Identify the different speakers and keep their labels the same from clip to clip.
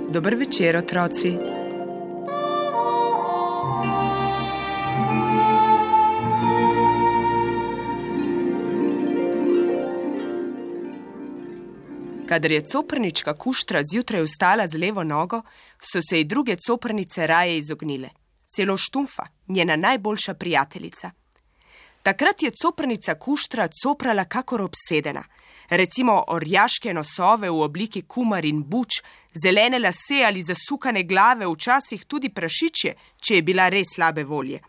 Speaker 1: Dober večer, otroci. Kadar je coprnička Kuštra zjutraj vstala z levo nogo, so se ji druge coprnice raje izognile. Celo Štumfa, njena najboljša prijateljica. Takrat je coprnica Kuštra coprala kakor obsedena. Recimo orjaške nosove v obliki kumar in buč, zelene lase ali zasukane glave, včasih tudi prašičje, če je bila res slabe volje.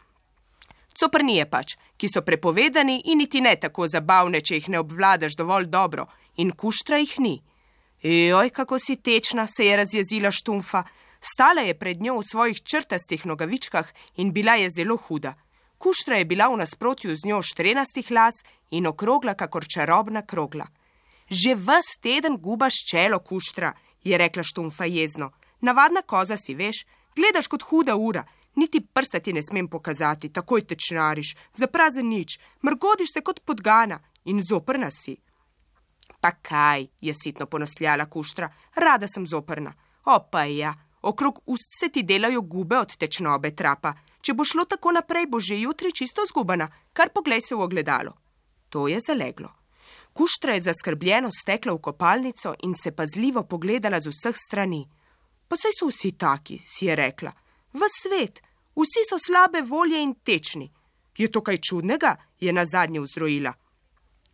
Speaker 1: Coprnije pač, ki so prepovedani in niti ne tako zabavne, če jih ne obvladaš dovolj dobro, in Kuštra jih ni. Joj, kako si tečna, se je razjezila Štumfa. Stala je pred njo v svojih črtastih nogavičkah in bila je zelo huda. Kuštra je bila v nasprotju z njo štrenastih las in okrogla kakor čarobna krogla. Že ves teden gubaš čelo, Kuštra, je rekla Štumfa jezno. Navadna koza si, veš, gledaš kot huda ura, niti prsta ti ne smem pokazati, takoj tečnariš, za prazen nič, mrgodiš se kot podgana in zoprna si. Pa kaj, je sitno ponosljala Kuštra, rada sem zoprna. Opa ja, okrog ust se ti delajo gube od tečnobe trapa. Če bo šlo tako naprej, bo že jutri čisto zgubana, kar poglej se v ogledalo. To je zaleglo. Kuštra je zaskrbljeno stekla v kopalnico in se pazljivo pogledala z vseh strani. Pa saj so vsi taki, si je rekla. Ves svet, vsi so slabe volje in tečni. Je to kaj čudnega, je nazadnje vzrojila.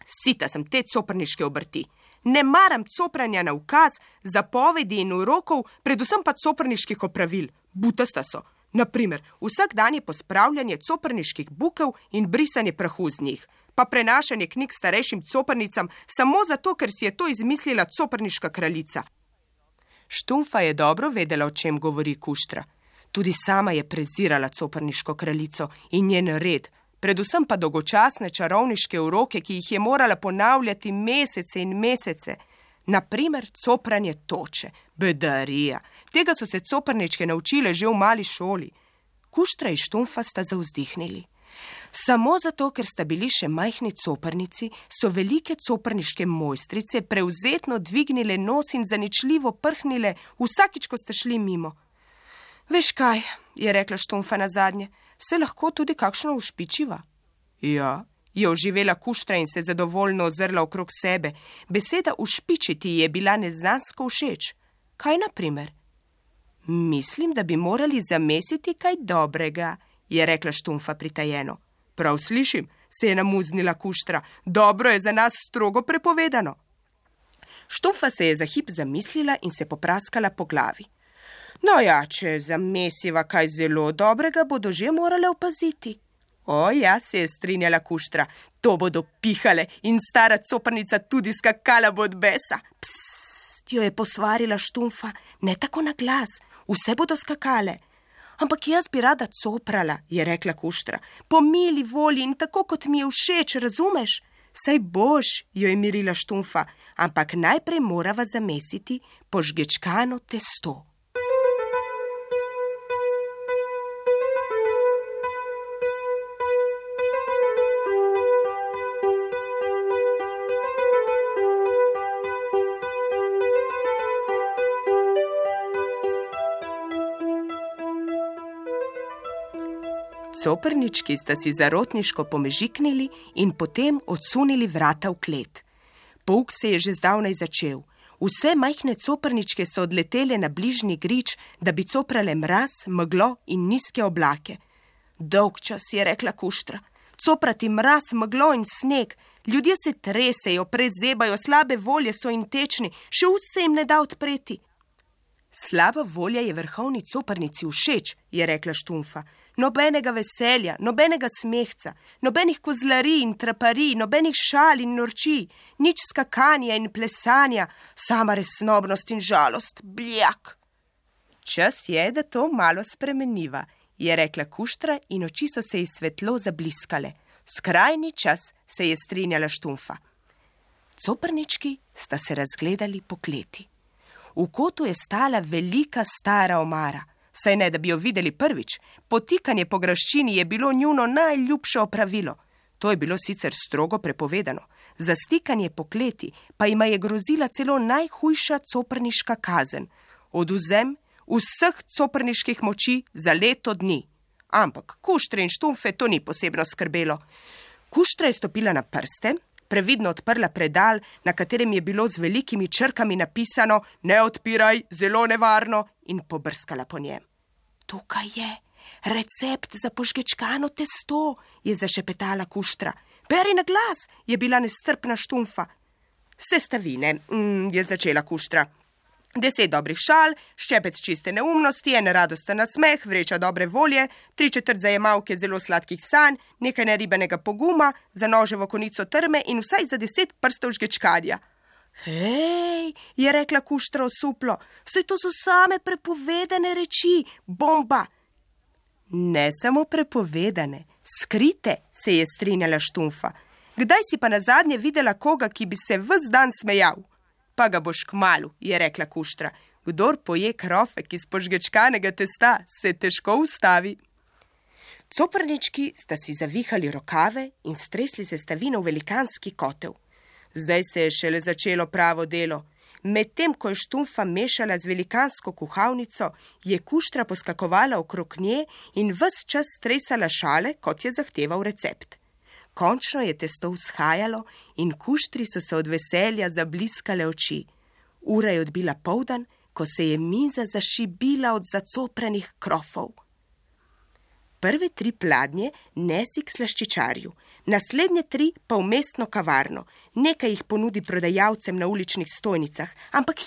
Speaker 1: Sita sem te coprniške obrti. Ne maram copranja na ukaz, zapovedi in urokov, predvsem pa coprniških opravil. Butasta so. Naprimer, vsak dan je pospravljanje coprniških bukev in brisanje prahu z njih, pa prenašanje knjig starejšim coprnicam samo zato, ker si je to izmislila coprniška kraljica. Štumfa je dobro vedela, o čem govori Kuštra. Tudi sama je prezirala coprniško kraljico in njen red, predvsem pa dolgočasne čarovniške uroke, ki jih je morala ponavljati mesece in mesece. Naprimer, copranje toče, bedarija. Tega so se coprničke naučile že v mali šoli. Kuštra in Štumfa sta zavzdihnili. Samo zato, ker sta bili še majhni coprnici, so velike coprniške mojstrice prevzetno dvignile nos in zaničljivo prhnile vsakič, ko sta šli mimo. Veš kaj, je rekla Štumfa nazadnje, se lahko tudi kakšno ušpičiva. Ja, je oživela Kuštra in se zadovoljno ozrla okrog sebe. Beseda ušpičiti je bila neznansko všeč. Kaj naprimer? Mislim, da bi morali zamesiti kaj dobrega, je rekla Štumfa pritajeno. Prav slišim, se je namuznila Kuštra. Dobro je za nas strogo prepovedano. Štumfa se je za hip zamislila in se popraskala po glavi. No ja, če zamesiva kaj zelo dobrega, bodo že morale opaziti. O ja, se je strinjala Kuštra, to bodo pihale in stara coprnica tudi skakala bo od besa. Psst, jo je posvarila Štumfa, ne tako na glas, vse bodo skakale. Ampak jaz bi rada coprala, je rekla Kuštra, po mili volji in tako, kot mi je všeč, razumeš? Saj boš, jo je mirila Štumfa, ampak najprej morava zamesiti požgečkano testo. Coprnički sta si zarotniško pomežiknili in potem odsunili vrata v klet. Pouk se je že zdavnaj začel. Vse majhne coprničke so odletele na bližnji grič, da bi coprale mraz, meglo in nizke oblake. Dolgčas, je rekla Kuštra. Coprati mraz, meglo in sneg. Ljudje se tresejo, prezebajo, slabe volje so in tečni, še ust se jim ne da odpreti. Slaba volja je vrhovni coprnici všeč, je rekla Štumfa. Nobenega veselja, nobenega smehca, nobenih kozlarij in traparij, nobenih šal in norčij, nič skakanja in plesanja, sama resnobnost in žalost, bljak. Čas je, da to malo spremeniva, je rekla Kuštra in oči so se ji svetlo zabliskale. Skrajni čas, se je strinjala Štumfa. Coprnički sta se razgledali po kleti. V kotu je stala velika stara omara. Saj ne, da bi jo videli prvič. Potikanje po graščini je bilo njuno najljubše opravilo. To je bilo sicer strogo prepovedano. Za stikanje po kleti pa jima je grozila celo najhujša coprniška kazen. odvzem vseh coprniških moči za leto dni. Ampak Kuštre in Štumfe to ni posebno skrbelo. Kuštra je stopila na prste, previdno odprla predal, na katerem je bilo z velikimi črkami napisano "Ne odpiraj, zelo nevarno", in pobrskala po njem. "Tukaj je recept za požgečkano testo", je zašepetala Kuštra. "Beri na glas", je bila nestrpna Štumfa. "Sestavine", je začela Kuštra. 10 dobrih šal, ščepec čiste neumnosti, en radosten nasmeh, vreča dobre volje, 3/4 zajemalke zelo sladkih sanj, nekaj neribanega poguma, za noževo konico trme in vsaj za 10 prstov žgečkanja. "Hej", je rekla Kuštra osuplo, "saj to so same prepovedane reči, bomba." "Ne samo prepovedane, skrite", se je strinjala Štumfa. "Kdaj si pa nazadnje videla koga, ki bi se ves dan smejal?" "Pa ga boš kmalu", je rekla Kuštra. "Kdor poje krofek iz požgečkanega testa, se težko ustavi." Coprnički sta si zavihali rokave in stresli sestavino v velikanski kotel. Zdaj se je šele začelo pravo delo. Medtem ko je Štumfa mešala z velikansko kuhalnico, je Kuštra poskakovala okrog nje in ves čas stresala šale, kot je zahteval recept. Končno je testo vzhajalo in Kuštri so se od veselja zabliskale oči. Ura je odbila poldan, ko se je miza zašibila od zacoprenih krofov. Prve 3 pladnje nesi k slaščičarju, naslednje 3 pa v mestno kavarno. Nekaj jih ponudi prodajalcem na uličnih stojnicah, ampak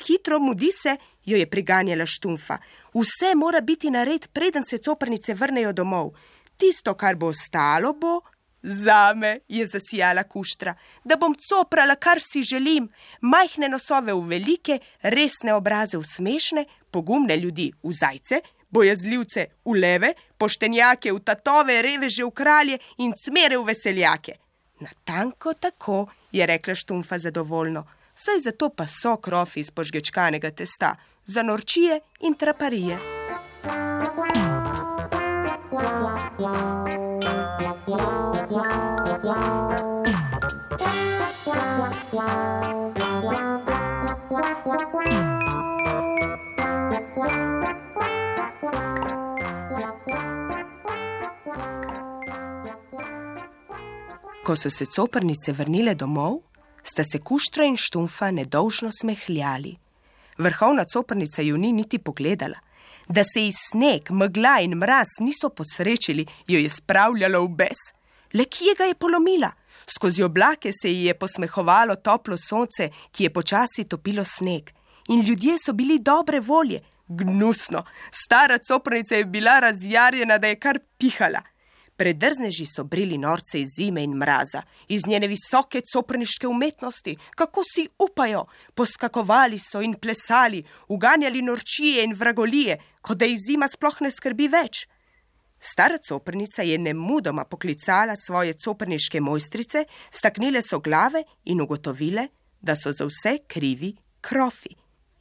Speaker 1: hitro, mudi se, jo je priganjala Štumfa. Vse mora biti nared, preden se coprnice vrnejo domov. Tisto, kar bo ostalo, bo zame, je zasijala Kuštra, da bom coprala, kar si želim. Majhne nosove v velike, resne obraze v smešne, pogumne ljudi v zajce, bojazljivce v leve, poštenjake v tatove, reveže v kralje in cmere v veseljake. "Natanko tako", je rekla Štumfa zadovoljno, "saj zato pa so krofi iz požgečkanega testa, za norčije in traparije." Ko so se coprnice vrnile domov, sta se Kuštra in Štumfa nedolžno smehljali. Vrhovna coprnica ju ni niti pogledala. Da se ji sneg, megla in mraz niso posrečili, jo je spravljalo v bes. Le kje ga je polomila? Skozi oblake se ji je posmehovalo toplo sonce, ki je počasi topilo sneg. In ljudje so bili dobre volje. Gnusno, stara coprnica je bila razjarjena, da je kar pihala. Predrzneži so brili norce iz zime in mraza, iz njene visoke coprniške umetnosti. Kako si upajo? Poskakovali so in plesali, uganjali norčije in vragolije, kot da jih zima sploh ne skrbi več. Stara coprnica je nemudoma poklicala svoje coprniške mojstrice, staknile so glave in ugotovile, da so za vse krivi krofi.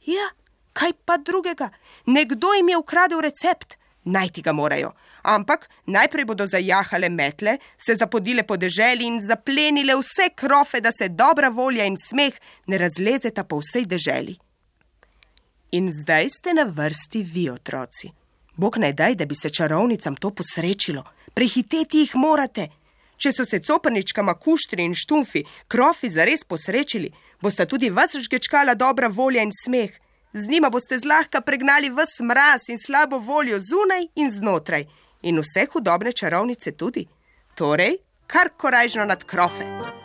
Speaker 1: Ja, kaj pa drugega? Nekdo jim je ukradel recept. Najti ga morajo. Ampak najprej bodo zajahale metle, se zapodile po deželi in zaplenile vse krofe, da se dobra volja in smeh ne razlezeta po vsej deželi. In zdaj ste na vrsti vi, otroci. Bog naj daj, da bi se čarovnicam to posrečilo. Prehiteti jih morate. Če so se coprničkama Kuštri in Štumfi krofi zares posrečili, bosta tudi vas žgečkala dobra volja in smeh. Z njima boste zlahka pregnali ves mraz in slabo voljo zunaj in znotraj. In vse hudobne čarovnice tudi. Torej, kar korajžno nad krofe.